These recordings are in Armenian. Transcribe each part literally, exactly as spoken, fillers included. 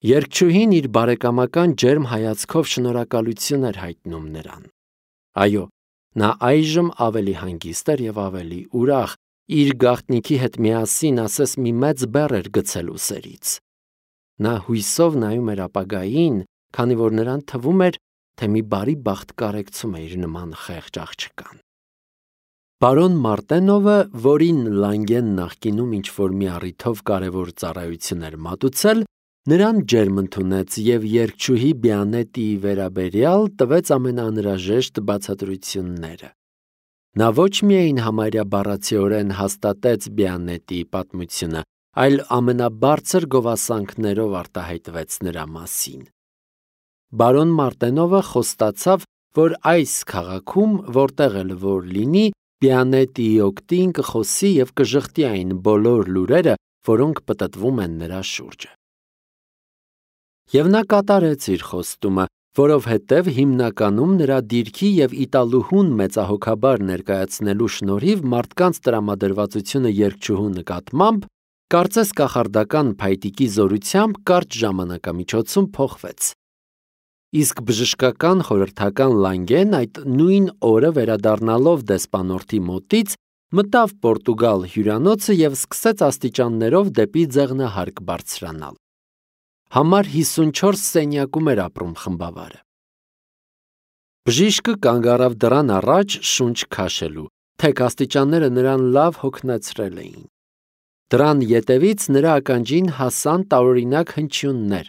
Երգչուհին իր բարեկամական ջերմ հայացքով շնորհակալություն էր հայտնում նրան։ Այո, նա այժմ ավելի հանգիստ էր և ավելի ուրախ, իր գաղտնիքի հետ միասին ասես մի մեծ բեռ էր գցել ուսերից։ Նա հույսով նայում էր ապագային, քանի որ նրան թվում էր, թե մի բարի բախտ կարեկցում է իր նման խեղճ աղջկան։ Պարոն Մարտենովը, որին Լանգեն նախկինում ինչ-որ մի առիթով կարևոր ծառայություն էր մատուցել, նրան ջերմ ընդունեց և երգչուհի Բիանետիի վերաբերյալ տվեց ամենաանհրաժեշտ բացատրությունները։ Նա ոչ միայն համարյա բառացիորեն հաստատեց Բիանետիի պատմությունը, այլ ամենաբարձր գովասանքներով արտահայտվեց նրա մասին։ Բարոն Մարտենովը խոստացավ, որ այս քաղաքում, որտեղ էլ որ լինի, Բիանետիի օգտին կխոսի և կժխտի այն բոլոր լուրերը, որոնք պտտվում են նրա շուրջը։ Եվ նա կատարեց իր խոստումը, որովհետև հիմնականում նրա դիրքի և իտալուհուն մեծահոգաբար ներկայացնելու շնորհիվ մարդկանց տրամադրվածությունը երգչուհու նկատմամբ, կարծես կախարդական փայտիկի զորությամբ կարճ ժամանակամիջոցում փոխվեց։ Իսկ բժշկական խորհրդական Լանգեն այդ նույն օրը վերադառնալով դեսպանորդի մոտից, մտավ Պորտուգալ հյուրանոցը և սկսեց աստիճաններով դեպի ձեղնահարկ բարձրանալ։ Համար հիսունչորս սենյակում էր ապրում խմբավարը։ Բժիշկը կանգ առավ դռան առաջ շունչ քաշելու, թեք աստիճանները նրան լավ հոգնեցրել էին։ Դռան ետևից նրա ականջին հասան տարօրինակ հնչյուններ։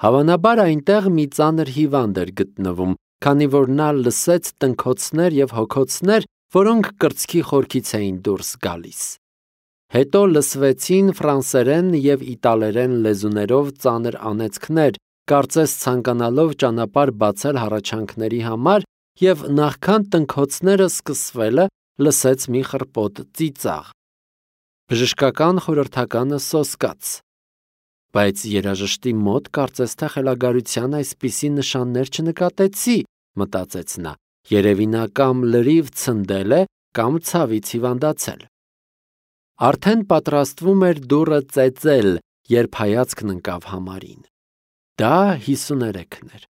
Հավանաբար այնտեղ մի ծանր հիվանդ էր գտնվում, քանի որ նա լսեց տնքոցներ և հոգոցներ, որոնք կրծքի խորքից էին դուրս գալիս։ Հետո լսվեցին ֆրանսերեն և իտալերեն լեզուներով ծանր անեծքներ, կարծես ցանկանալով ճանապարհ բացել հառաչանքների համար, և նախքան տնքոցները սկսվելը լսեց մի խռպոտ ծիծաղ։ Բժշկական խորհրդականը սոսկաց։ Բայց երաժշտի մոտ կարծես թե խելագարության այսպիսի նշաններ չնկատեցի, մտածեց նա, երևի նա կամ լրիվ ցնդել է, կամ ցավից հիվանդացել։ Արդեն պատրաստվում էր դուռը ծեծել, երբ հայացքն ընկավ համարին։ Դա հիսուներեքն էր։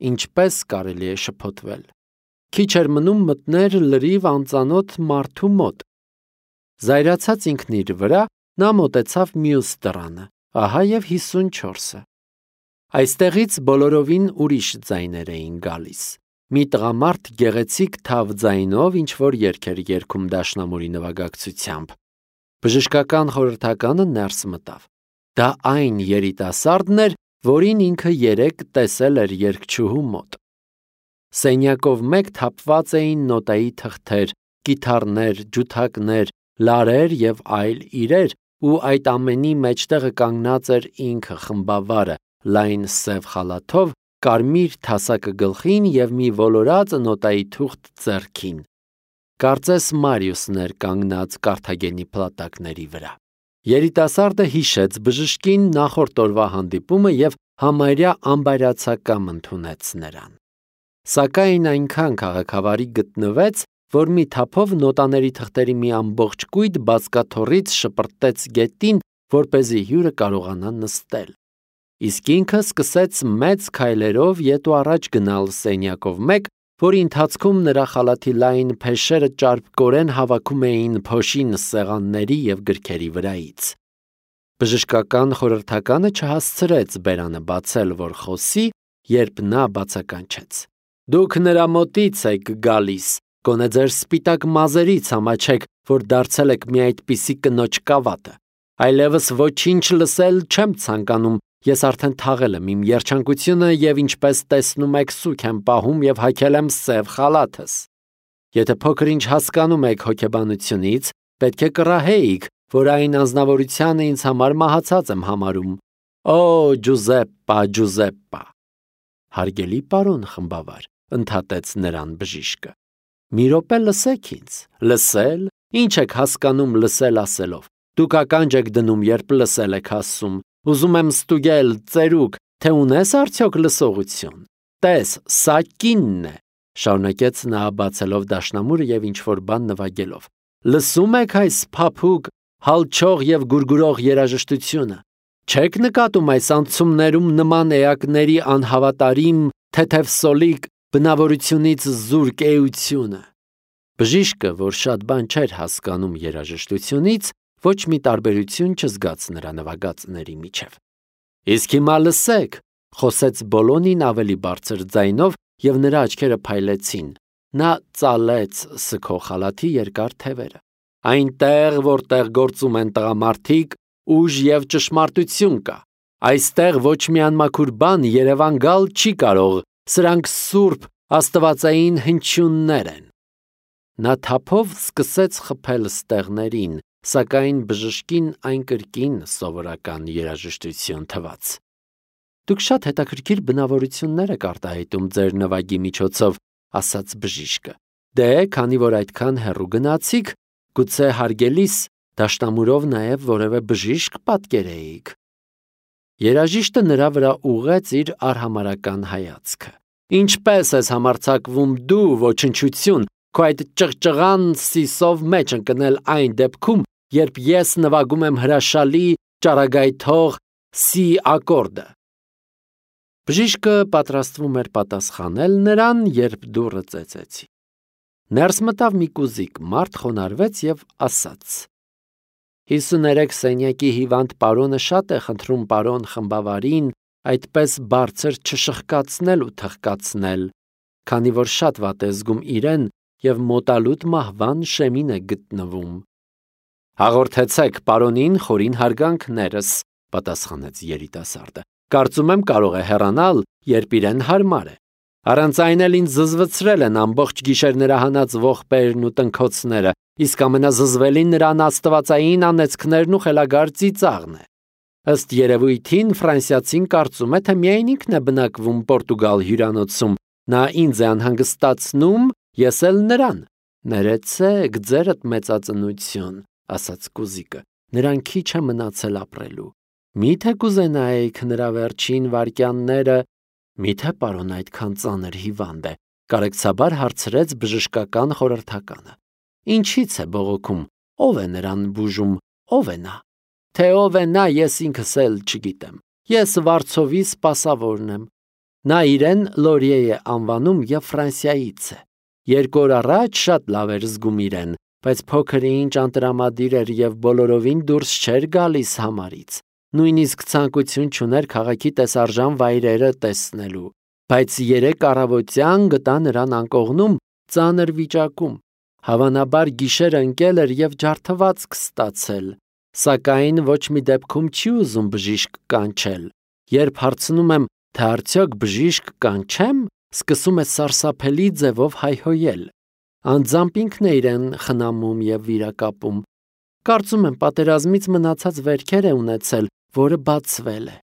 Ինչպես կարելի է շփոթվել։ Քիչ էր մնում մտներ լրիվ անծանոթ մարդու մոտ։ Զայրացած ինքն իր վրա, նա մոտեցավ մյուս դռանը, ահա և հիսունչորսը։ Այստեղից բոլորովին ուրիշ ձայներ էին գալիս։ Մի տղամարդ գեղեցիկ թավ ձայնով ինչ-որ երգ էր երգում դաշնամուրի նվագակցությամբ։ Բժշկական խորհրդականը ներս մտավ։ Դա այն երիտասարդն էր, որին ինքը երեկ տեսել էր երգչուհու մոտ։ Սենյակով մեկ թափված էին նոտայի թղթեր, կիթառներ, ջութակներ, լարեր և այլ իրեր, ու այդ ամենի մեջտեղը կանգնած էր ինքը խմբավարը, լայն սև խալաթով, կարմիր թասակը գլխին և մի ոլորած նոտայի թուղթ ձեռքին։ Կարծես Մարիուսն էր կանգնած Կարթագենի փլատակների վրա։ Երիտասարդը հիշեց բժշկին նախորդ օրվա հանդիպումը և համարյա անբայրացակամ ընդունեց նրան։ Սակայն այնքան քաղաքավարի գտնվեց, որ մի թափով նոտաների թղթերի մի ամբողջ կույտ բազկաթոռից շպրտեց գետին, որպեսզի հյուրը կարողանա նստել։ Իսկ ինքը սկսեց մեծ քայլերով ետ ու առաջ գնալ սենյակով մեկ, որի ընթացքում նրա խալաթի լայն փեշերը ճարպկորեն հավաքում էին փոշին սեղանների և գրքերի վրայից։ Բժշկական խորհրդականը չհասցրեց բերանը բացել, որ խոսի, երբ նա բացականչեց. «Դուք նրա մոտից եք գալիս, գոնե ձեր սպիտակ մազերից ամաչեք, որ դարձել եք մի այդպիսի կնոջ կավատը։ Այլևս ոչինչ լսել չեմ ցանկանում, ես արդեն թաղել եմ իմ երջանկությունը և ինչպես տեսնում եք սուգ եմ պահում և հագել եմ սև խալաթս։ Եթե փոքր-ինչ հասկանում եք հոգեբանությունից, պետք է կռահեիք, որ այն անձնավորությանը ինձ համար մահացած եմ համարում։ Օ, Ջուզեպպա, Ջուզեպպա»։ Հարգելի պարոն խմբավար, ընդհատեց նրան բժիշկը, մի րոպե լսեք ինձ։ Լսել, ինչ եք հասկանում լսել ասելով։ Դուք ականջ եք դնում, երբ լսել եք ասում։ Ուզում եմ ստուգել, ծերուկ, թե ունես արդյոք լսողություն։ Տես, սա կինն է, շարունակեց նա բացելով դաշնամուրը և ինչ-որ բան նվագելով։ Լսում եք այս փափուկ, հալչող և գուրգուրող երաժշտությունը։ Չեք նկատում այս անցումներում նման էակների անհավատարիմ, թեթևսոլիկ բնավորությունից զուրկ էությունը։ Բժիշկը, որ շատ բան չէր հասկանում երաժշտությունից, ոչ մի տարբերություն չզգաց նրա նվագածների միջև։ Իսկ հիմա լսեք, խոսեց Բոլոնին ավելի բարձր ձայնով, և նրա աչքերը փայլեցին։ Նա ծալեց սգող խալաթի երկար թևերը։ Այնտեղ, որտեղ գործում են տղամարդիկ, ուժ և ճշմարտություն կա։ Այստեղ ոչ մի անմաքուր բան երևան գալ չի կարող, սրանք սուրբ աստվածային հնչյուններ են։ Նա թափով սկսեց խփել ստեղներին, սակայն բժշկին այն կրկին սովորական երաժշտություն թվաց։ Դուք շատ հետաքրքիր բնավորություններ եք արտահայտում ձեր նվագի միջոցով, ասաց բժիշկը։ Դե, քանի որ այդքան հեռու գնացիք, գուցե հարգելիս դաշնամուրով նաև որևէ բժիշկ պատկերեիք։ Երաժիշտը նրա վրա ուղղեց իր արհամարհական հայացքը։ Ինչպե՞ս ես համարձակվում դու, ոչնչություն, քո այդ ճղճղան սիսով մեջ ընկնել այն դեպքում, երբ ես նվագում եմ հրաշալի ճառագայթող սի ակորդը։ Բժիշկը պատրաստվում էր պատասխանել նրան, երբ դուռը ծեծեցի։ Ներս մտավ մի կուզիկ մարդ, խոնարհվեց և ասաց. հիսուներեք սենյակի հիվանդ պարոնը շատ է խնդրում պարոն խմբավարին այդպես բարձր չշխկացնել ու թխկացնել, քանի որ շատ վատ է զգում իրեն և մոտալուտ մահվան շեմին է գտնվում։ Հաղորդեցեք պարոնին խորին հարգանքներս, պատասխանեց երիտասարդը։ Կարծում եմ կարող է հեռանալ, երբ իրեն հարմար է։ Առանց այն էլ ինձ զզվցրել են ամբողջ գիշեր նրա հանած ողբերն ու տնքոցները, իսկ ամենազզվելին նրան աստվածային անեծքներն ու խելագար ծիծաղն է։ Ըստ երևույթին ֆրանսիացին կարծում է, թե միայն ինքն է բնակվում Պորտուգալ հյուրանոցում, նա ինձ է անհանգստացնում, ես էլ նրան։ Ներեցեք, ձերդ մեծածնություն, ասաց կուզիկը, նրան քիչ է մնացել ապրելու։ Մի՞թե կուզենայիք նրա վերջին վայրկյանները, մի՞թե պարոն այդքան ծանր հիվանդ է, կարեկցաբար հարցրեց բժշկական խորհրդականը։ Ինչից է բողոքում, ով է նրան բուժում, ով է նա։ Թե ով է նա, ես ինքս էլ չգիտեմ։ Ես վարձովի սպասավորն եմ։ Նա իրեն Լորիե է անվանում և Ֆրանսիայից է։ Երկու օր առաջ շատ լավ էր զգում իրեն, բայց փոքր ինչ անտրամադիր էր և բոլորովին դուրս չէր գալիս համարից։ Նույնիսկ ցանկություն չուներ քաղաքի տեսարժան վայրերը տեսնելու, բայց երեկ առավոտյան գտա նրան անկողնում ծանր վիճակում։ Հավանաբար գիշերը ընկել էր և ջարդվածք ստացել, սակայն ոչ մի դեպքում չի ուզում բժիշկ կանչել։ Երբ հարցնում եմ, թե արդյոք բժիշկ կանչեմ, սկսում է սարսափելի ձևով հայհոյել։ Անձամբ ինքն է իրեն խնամում և վիրակապում։ Կարծում եմ պատերազմից մնացած վերքեր է ունեցել, որը բացվել է։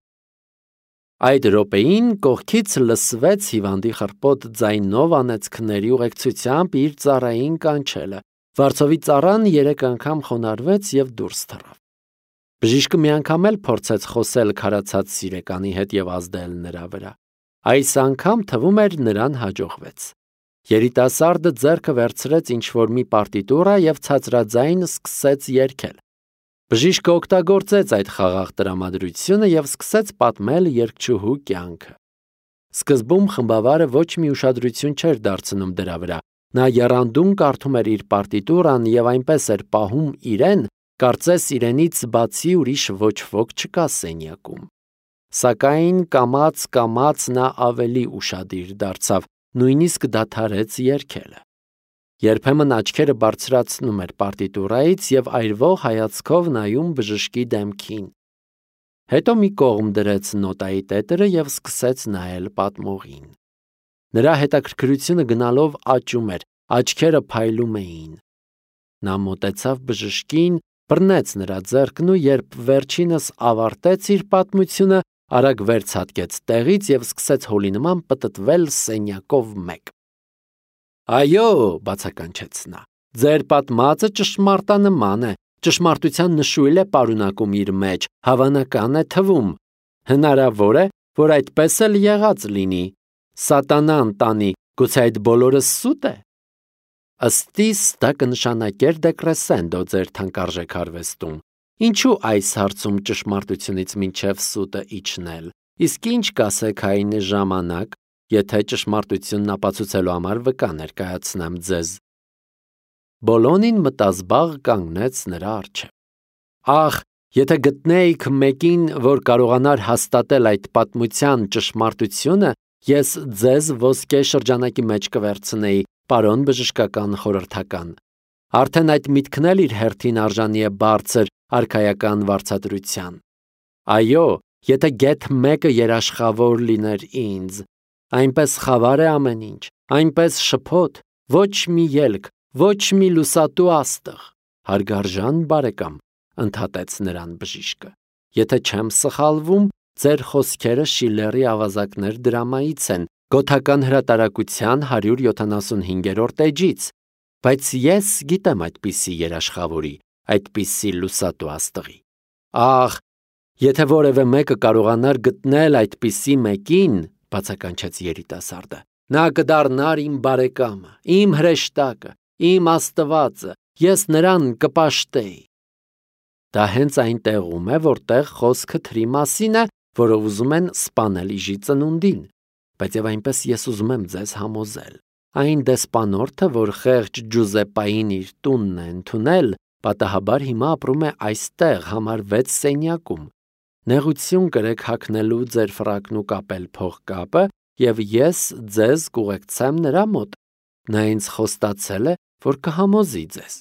Այդ րոպեին կողքից լսվեց հիվանդի խռպոտ ձայնով անեծքների ուղեկցությամբ իր ծառային կանչելը։ Վարձովի ծառան երեք անգամ խոնարհվեց և դուրս թռավ։ Բժիշկը մի անգամ էլ փորձեց խոսել քարացած սիրեկանի հետ և ազդել նրա վրա։ Այս անգամ թվում էր նրան հաջողվեց։ Երիտասարդը ձեռքը վերցրեց ինչ-որ մի պարտիտուրա և ցածրաձայն սկսեց երգել։ Բժիշկը օգտագործեց այդ խաղաղ տրամադրությունը և սկսեց պատմել երգչուհու կյանքը։ Սկզբում խմբավարը ոչ մի ուշադրություն չէր դարձնում դրա վրա։ Նա եռանդուն կարդում էր իր պարտիտուրան և այնպես էր պահում իրեն, կարծես իրենից բացի ուրիշ ոչ ոք չկա սենյակում։ Սակայն կամաց-կամաց նա ավելի ուշադիր դարձավ, նույնիսկ դադարեց երգելը։ Երբեմն աչքերը բարձրացնում էր պարտիտուրայից և այրվող հայացքով նայում բժշկի դեմքին։ Հետո մի կողմ դրեց նոտայի տետրը և սկսեց նայել պատմողին։ Նրա հետաքրքրությունը գնալով աճում էր, աչքերը փայլում էին։ Նա մոտեցավ բժշկին, բռնեց նրա ձեռքն ու երբ վերջինս ավարտեց իր պատմությունը, արագ վերցատկեց տեղից և սկսեց հոլի նման պտտվել սենյակով մեկ։ Այո, բացականչեց նա, ձեր պատմածը ճշմարտանման է, ճշմարտության նշույլ է պարունակում իր մեջ, հավանական է թվում։ Հնարավոր է, որ այդպես էլ եղած լինի։ Սատանան տանի, գուցե այդ բոլորը սուտ է։ Ըստ իս դա կնշանակեր դեկրեսենդո ձեր թանկարժեք արվեստում։ Ինչու այս հարցում ճշմարտությունից մինչև սուտը իջնել, իսկ ինչ կասեք այն ժամանակ, եթե ճշմարտությունն ապացուցելու համար վկա ներկայացնեմ ձեզ։ Բոլոնին մտազբաղ կանգնեց նրա առջև։ Ախ, եթե գտնեիք մեկին, որ կարողանար հաստատել այդ պատմության ճշմարտությունը, ես ձեզ ոսկե շրջանակի մեջ կվերցնեի, պարոն բժշկական խորհրդական։ Արդեն այդ միտքն էլ իր հերթին արժանի է բարձր արքայական վարձատրության։ Այո, եթե գեթ մեկը երաշխավոր լիներ ինձ, այնպես խավար է ամեն ինչ, այնպես շփոթ, ոչ մի ելք, ոչ մի լուսատու աստղ։ Հարգարժան բարեկամ, ընդհատեց նրան բժիշկը, եթե չեմ սխալվում, ձեր խոսքերը Շիլլերի ավազակներ դրամայից են, Գոթական հրատարակության հարյուր յոթանասունհինգերորդ էջից, բայց ես գիտեմ այդպիսի երաշխավորի, այդպիսի լուսատու աստղի։ Ախ, եթե որևէ մեկը կարողանար գտնել այդպիսի մեկին, բացականչեց երիտասարդը, նա կդառնար իմ բարեկամը, իմ հրեշտակը, իմ Աստվածը, ես նրան կպաշտեի։ Դա հենց այն տեղում է, որտեղ խոսքը թրի մասին է, որը ուզում են սպանել իժի ծնունդին, բայց եւ այնպես ես ուզում եմ ձեզ համոզել։ Այն դեսպանորդը, որ խեղճ Ջուզեպպային իր տունն է ընդունել, պատահաբար հիմա ապրում է այստեղ համար վեց սենյակում։ Նեղություն կրեք հագնելու ձեր ֆրակն ու կապել փողկապը, եւ ես ձեզ կուղեկցեմ նրա մոտ։ Նա ինձ խոստացել է, որ կհամոզի ձեզ։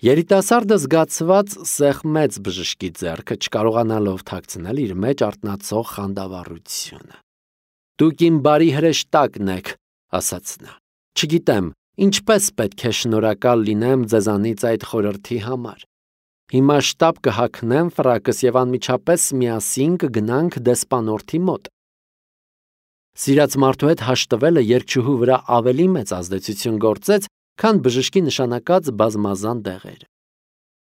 Երիտասարդը զգացված սեղմեց բժշկի ձեռքը, չկարողանալով թաքցնել իր մեջ արթնացող խանդավառությունը։ Դուք իմ բարի հրեշտակն եք, ասաց նա։ Չգիտեմ, ինչպես պետք է շնորհակալ լինեմ ձեզանից այդ խորհրդի համար։ Հիմա շտապ կհագնեմ ֆրակս եւ անմիջապես միասին կգնանք դեսպանորդի մոտ։ Սիրած մարդու հետ հաշտվելը երկչուհու վրա ավելի մեծ ազդեցություն գործեց, քան բժշկի նշանակած բազմազան դեղերը։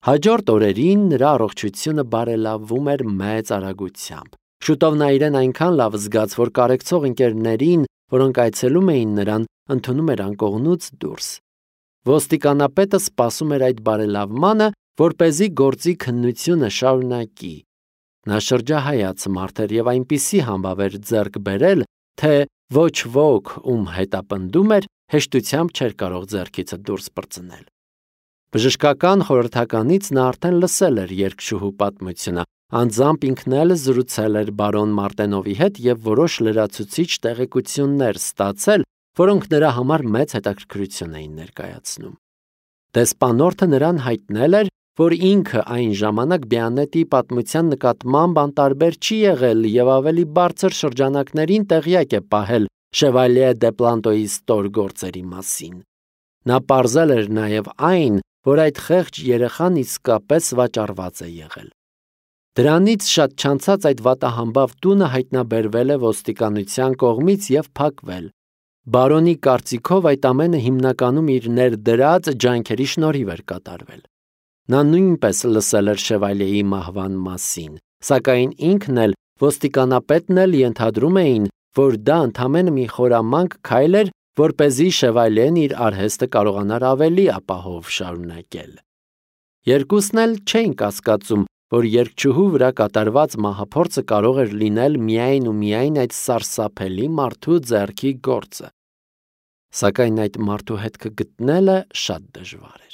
Հաջորդ օրերին նրա առողջությունը բարելավվում էր մեծ արագությամբ։ Շուտով նա իրեն այնքան լավ զգաց, որ կարեկցող ընկերներին, որոնք այցելում էին նրան, ընդունում էր անկողնուց դուրս։ Ոստիկանապետը սպասում էր այդ բարելավմանը, որպեսզի գործի քննությունը շարունակի։ Նա շրջահայաց մարդեր եւ այնպիսի համբավ էր ձեռք բերել, թե ոչ ոք, ում հետապնդում էր, հեշտությամբ չէր կարող ձեռքիցը դուրս պրծնել։ Բժշկական խորհրդականից նա արդեն լսել էր երկչուհու պատմությունը, անձամբ ինքն էլ զրուցել էր բարոն Մարտենովի հետ եւ որոշ լրացուցիչ տեղեկություններ ստացել, որոնք նրա համար մեծ հետաքրքրություն էին ներկայացնում։ Դեսպանորդը նրան հայտնել էր, որ ինքը այն ժամանակ Բիանետի պատմության նկատմամբ անտարբեր չի եղել եւ ավելի բարձր շրջանակներին տեղյակ է պահել Շևալյե դե Պլանտոյի ստոր գործերի մասին։ Նա պարզել էր նաև այն, որ այդ խեղճ երեխան իսկապես վաճառված է եղել։ Դրանից շատ չանցած այդ վատահամբավ տունը հայտնաբերվել է ոստիկանության կողմից եւ փակվել։ Բարոնի կարծիքով այդ ամենը հիմնականում իր ներդրած ջանքերի շնորհիվ էր կատարվել։ Նա նույնպես լսել էր Շևալյեի մահվան մասին, սակայն ինքն էլ ոստիկանապետն էլ ենթադրում էին, որ դա ընդամենը մի խորամանկ քայլ էր, որպեսզի Շևալյեն իր արհեստը կարողանար ավելի ապահով շարունակել։ Երկուսն էլ չէին կասկածում, որ երկչուհու վրա կատարված մահափորձը կարող էր լինել միայն ու միայն այդ սարսափելի մարդու ձեռքի գործը։ Սակայն այդ մարդու հետքը գտնելը շատ դժվար էր։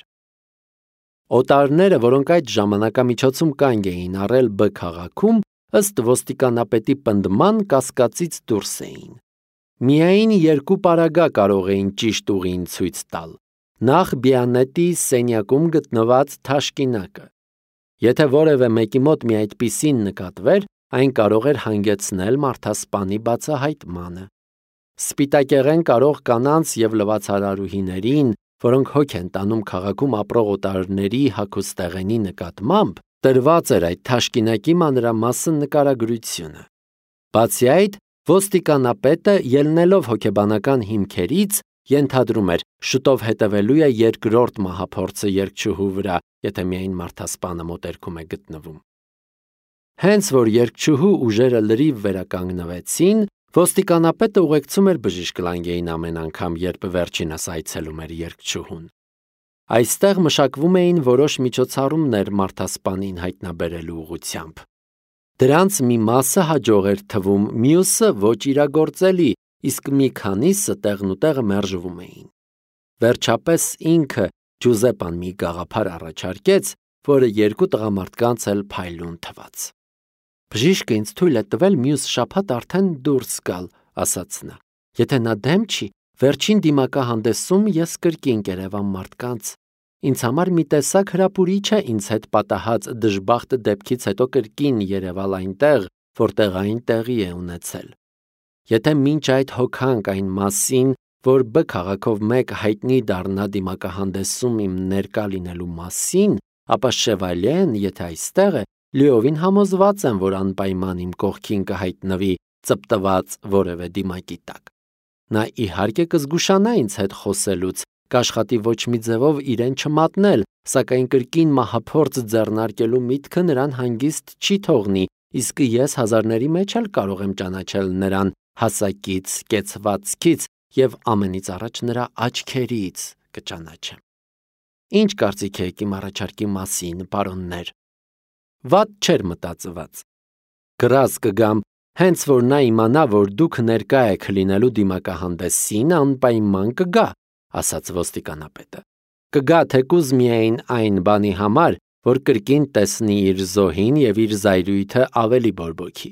Օտարները, որոնք այդ ժամանակամիջոցում կանգ էին առել Բ քաղաքում, ըստ ոստիկանապետի պնդման կասկածից դուրս էին։ Միայն երկու պարագա կարող էին ճիշտ ուղին ցույց տալ։ Նախ Բիանետի սենյակում գտնված թաշկինակը։ Եթե որևէ մեկի մոտ մի այդպիսին նկատվեր, այն կարող էր հանգեցնել մարդասպանի բացահայտմանը։ Սպիտակեղեն կարող կանանց եւ լվացարարուհիներին, որոնք հոգ են տանում քաղաքում ապրող օտարների հագուստեղենի նկատմամբ, տրված էր այդ թաշկինակի մանրամասն նկարագրությունը։ Բացի այդ, ոստիկանապետը, ելնելով հոգեբանական հիմքերից, ենթադրում էր, շուտով հետևելու է երկրորդ մահափորձը երկչուհու վրա, եթե միայն մարդասպանը մոտերքում է գտնվում։ Հենց որ երկչուհու ուժերը լրիվ վերականգնվեցին, ոստիկանապետը ուղեկցում էր բժիշկ Լանգեին ամեն անգամ, երբ վերջինս այցելում էր երկչուհուն։ Այստեղ մշակվում էին որոշ միջոցառումներ մարդասպանին հայտնաբերելու ուղղությամբ։ Դրանց մի մասը հաջող էր թվում, մյուսը ոչ իրագործելի, իսկ մի քանիսը տեղնուտեղը մերժվում էին։ Վերջապես ինքը Ջուզեպպան մի գաղափար առաջարկեց, որը երկու տղամարդկանց էլ փայլուն թվաց։ «Բժիշկը ինձ թույլ է տվել մյուս շաբաթ արդեն դուրս գալ», ասաց նա։ «Եթե նա դեմ չի, վերջին դիմակահանդեսում ես կրկին կերևա մարդկանց։ Ինձ համար մի տեսակ հրապուրիչ է ինձ հետ պատահած դժբախտ դեպքից հետո կրկին երևալ այնտեղ, որտեղ այն տեղի է ունեցել։ Եթե մինչ այդ հոգանք այն մասին, որ Բ քաղաքով մեկ հայտնի դառնա դիմակահանդեսում իմ ներկա լինելու մասին, ապա Շևալյեն, եթե այստեղ է, լիովին համոզված եմ, որ անպայման իմ կողքին կհայտնվի ծպտված որևէ դիմակի տակ։ Նա իհարկե կզգուշանա ինձ հետ խոսելուց, կաշխատի ոչ մի ձևով իրեն չմատնել, սակայն կրկին մահափորձ ձեռնարկելու միտքը նրան հանգիստ չի թողնի, իսկ ես հազարների մեջ էլ կարող եմ ճանաչել նրան հասակից, կեցվածքից և ամենից առաջ նրա աչքերից կճանաչեմ։ Ինչ կարծիք եք իմ առաջարկի մասին, պարոններ։ Վատ չէր մտածված։ Գրած կգամ, հենց որ նա իմանա, որ դուք ներկա եք լինելու դիմակահանդեսին, անպայման կգա, ասաց ոստիկանապետը։ Կգա թեկուզ միայն այն բանի համար, որ կրկին տեսնի իր զոհին և իր զայրույթը ավելի բորբոքի։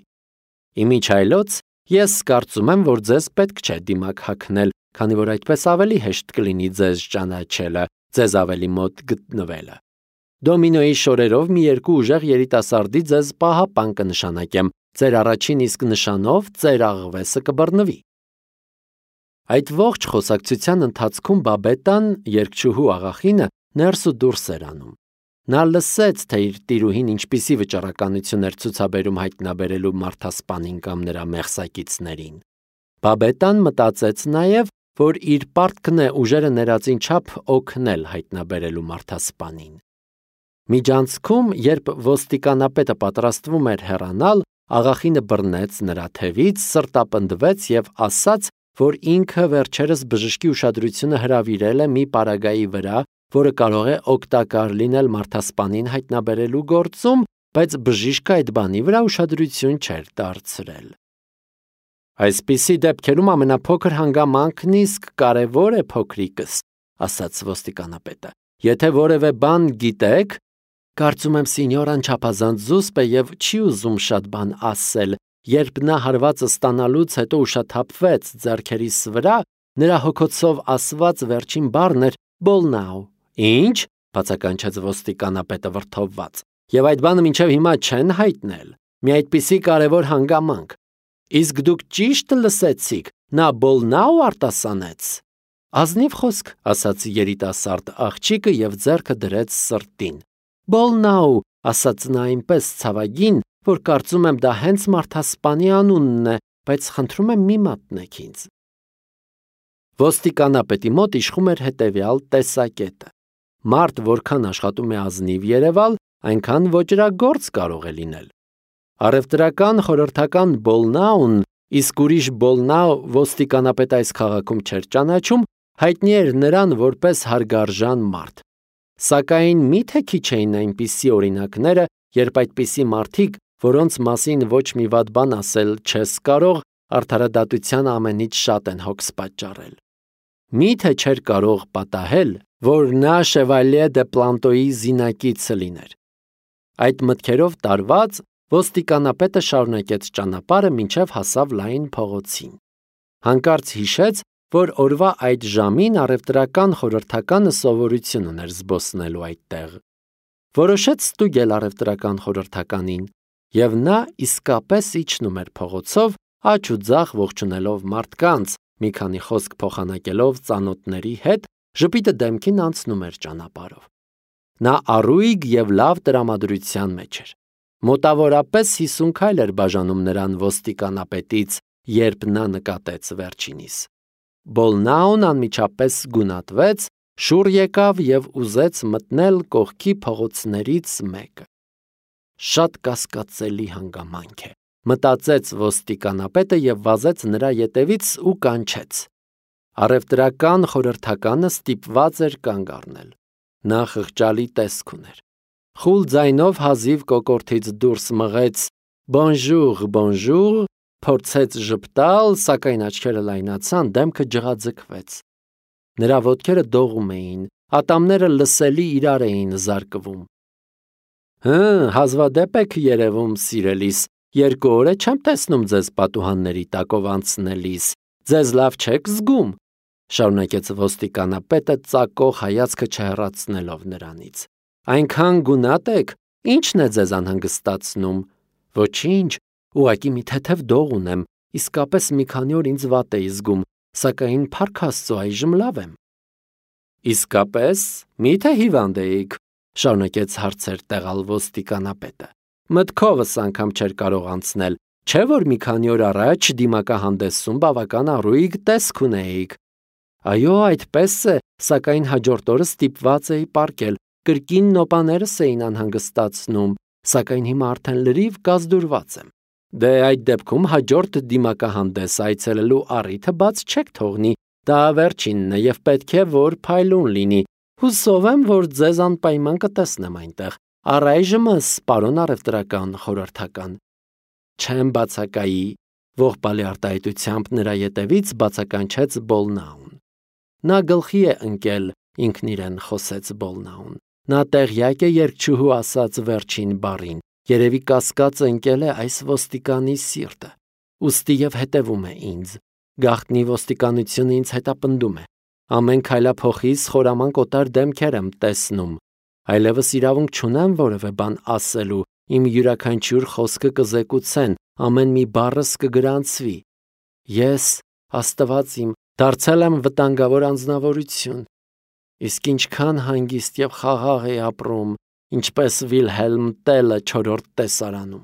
Իմիջայլոց ես կարծում եմ, որ ձեզ պետք չէ դիմակ հագնել, քանի որ այդպես ավելի հեշտ կլինի ձեզ ճանաչելը, ձեզ ավելի մոտ գտնվելը։ Դոմինոյի շորերով մի երկու ուժեղ երիտասարդի ձեզ պահապան կնշանակեմ, ձեր առաջին իսկ նշանով ձեր աղվեսը կբռնվի։ Այդ ողջ խոսակցության ընթացքում Բաբետան, երգչուհու աղախինը, ներս ու դուրս էր անում։ Նա լսեց, թե իր տիրուհին ինչպիսի վճռականություն էր ցուցաբերում հայտնաբերելու մարդասպանին կամ նրա մեղսակիցներին։ Բաբետան մտածեց նաև, որ իր պարտքն է ուժերը ներածին չափ օգնել հայտնաբերելու մարդասպանին։ Միջանցքում, երբ ոստիկանապետը պատրաստվում էր հեռանալ, աղախինը բռնեց նրա թևից, սրտապնդվեց և ասաց, որ ինքը վերջերս բժշկի ուշադրությունը հրավիրել է մի պարագայի վրա, որը կարող է օգտակար լինել մարդասպանին հայտնաբերելու գործում, բայց բժիշկը այդ բանի վրա ուշադրություն չէր դարձրել։ Այսպիսի դեպքերում ամենափոքր հանգամանքն իսկ կարևոր է, փոքրիկս, ասաց ոստիկանապետը։ Եթե որևէ բան գիտեք, կարծում եմ սինյորան չափազանց զուսպ է և չի ուզում շատ բան ասել, երբ նա հարվածը ստանալուց հետո ուշաթափվեց ձեռքերիս վրա, նրա հոգոցով ասված վերջին բառն էր «բոլնաու»։ Ինչ, բացականչեց ոստիկանապետը վրդովված, և այդ բանը մինչև հիմա չեն հայտնել, մի այդպիսի կարևոր հանգամանք։ Իսկ դուք ճիշտ լսեցիք, նա բոլնաու արտասանեց։ Ազնիվ խոսք, ասաց երիտասարդ աղջիկը և ձեռքը դրեց սրտին։ Բոլնաու, ասաց նա այնպես ցավագին, որ կարծում եմ դա հենց մարդասպանի անունն է, բայց խնդրում եմ մի մատնեք ինձ։ Ոստիկանապետի մոտ իշխում էր հետևյալ տեսակետը. մարդ որքան աշխատում է ազնիվ երևալ, այնքան ոճրագործ կարող է լինել։ Առևտրական խորհրդական Բոլնաուն, իսկ ուրիշ Բոլնաու ոստիկանապետը այս քաղաքում չէր ճանաչում, հայտնի էր նրան որպես հարգարժան մարդ։ Սակայն միթե քիչ էին այնպիսի օրինակները, երբ այդպիսի մարդիկ, որոնց մասին ոչ մի վատ բան ասել չես կարող, արդարադատության ամենից շատ են հոգս պատճառել։ Միթե չէր կարող պատահել, որ նա Շևալյե դե Պլանտոյի զինակիցը լիներ։ Այդ մտքերով տարված, ոստիկանապետը շարունակեց ճանապարհը, մինչև հասավ լայն փողոցին։ Հանկարծ հիշեց, որ օրվա այդ ժամին առևտրական խորհրդականը սովորություն ուներ զբոսնելու այդտեղ։ Որոշեց ստուգել առևտրական խորհրդականին, և նա իսկապես իջնում էր փողոցով, աջ ու ձախ ողջունելով մարդկանց, մի քանի խոսք փոխանակելով ծանոթների հետ, ժպիտը դեմքին անցնում էր ճանապարհով։ Նա առույգ և լավ տրամադրության մեջ էր։ Մոտավորապես հիսուն քայլ էր բաժանում նրան ոստիկանապետից, երբ նա նկատեց վերջինիս։ Բոլնաուն անմիջապես գունատվեց, շուռ եկավ և ուզեց մտնել կողքի փողոցներից մեկը։ Շատ կասկածելի հանգամանք է, մտածեց ոստիկանապետը և վազեց նրա ետևից ու կանչեց։ Առևտրական խորհրդականը ստիպված էր կանգ առնել։ Նա խղճալի տեսք ուներ։ Խուլ ձայնով հազիվ կոկորդից դուրս մղեց «Բոնժուր, բոնժուր», փորձեց ժպտալ, սակայն աչքերը լայնացան, դեմքը ջղաձգվեց։ Նրա ոտքերը դողում էին, ատամները լսելի իրար էին զարկվում։ «Հը, հազվադեպ եք երևում, սիրելիս, երկու օր է չեմ տեսնում ձեզ պատուհանների տակով անցնելիս, ձեզ լավ չեք զգում», շարունակեց ոստիկանապետը ծակող հայացքը չհեռացնելով նրանից։ «Այնքան գունատ եք, ի՞նչն է ձեզ անհանգստացնում»։ «Ոչինչ, ուղղակի մի թեթև դող ունեմ, իսկապես մի քանի օր ինձ վատ էի զգում, սակայն փառք Աստծո, այժմ լավ եմ»։ «Իսկապես, մի՞թե հիվանդ էիք», շարունակեց հարցեր տեղալ ոստիկանապետը։ «Մտքովս անգամ չէր կարող անցնել, չէ՞ որ մի քանի օր առաջ դիմակահանդեսում բավական առույգ տեսք ունեիք»։ «Այո, այդպես է, սակայն հաջորդ օրը ստիպված էի պառկել, կրկին նոպաներս էին անհանգստացնում, սակայն հիմա արդեն լրիվ կազդուրված եմ»։ «Դե այդ դեպքում հաջորդ դիմակահանդես այցելելու առիթը բաց չեք թողնի, դա վերջինն է և պետք է որ փայլուն լինի, հուսով եմ, որ ձեզ անպայման կտեսնեմ այնտեղ, առայժմս, պարոն առևտրական խորհրդական»։ «Չեմ բացակայի», ողբալի արտահայտությամբ նրա ետևից բացականչեց Բոլնաուն։ «Նա գլխի է ընկել», ինքն իրեն խոսեց Բոլնաուն։ «Նա տեղյակ է երգչուհու ասած վերջին բառին, երևի կասկածը ընկել է այս ոստիկանի սիրտը, ուստի և հետևում է ինձ։ Գաղտնի ոստիկանությունը ինձ հետապնդում է։ Ամեն քայլափոխիս խորամանկ օտար դեմքեր եմ տեսնում։ Այլևս իրավունք չունեմ որևէ բան ասելու, իմ յուրաքանչյուր խոսքը կզեկուցեն, ամեն մի բառս կգրանցվի։ Ես, Աստված իմ, դարձել եմ վտանգավոր անձնավորություն։ Իսկ ինչքան հանգիստ և խաղաղ էի ապրում, ինչպես Վիլհելմ Տելը չորրորդ տեսարանում։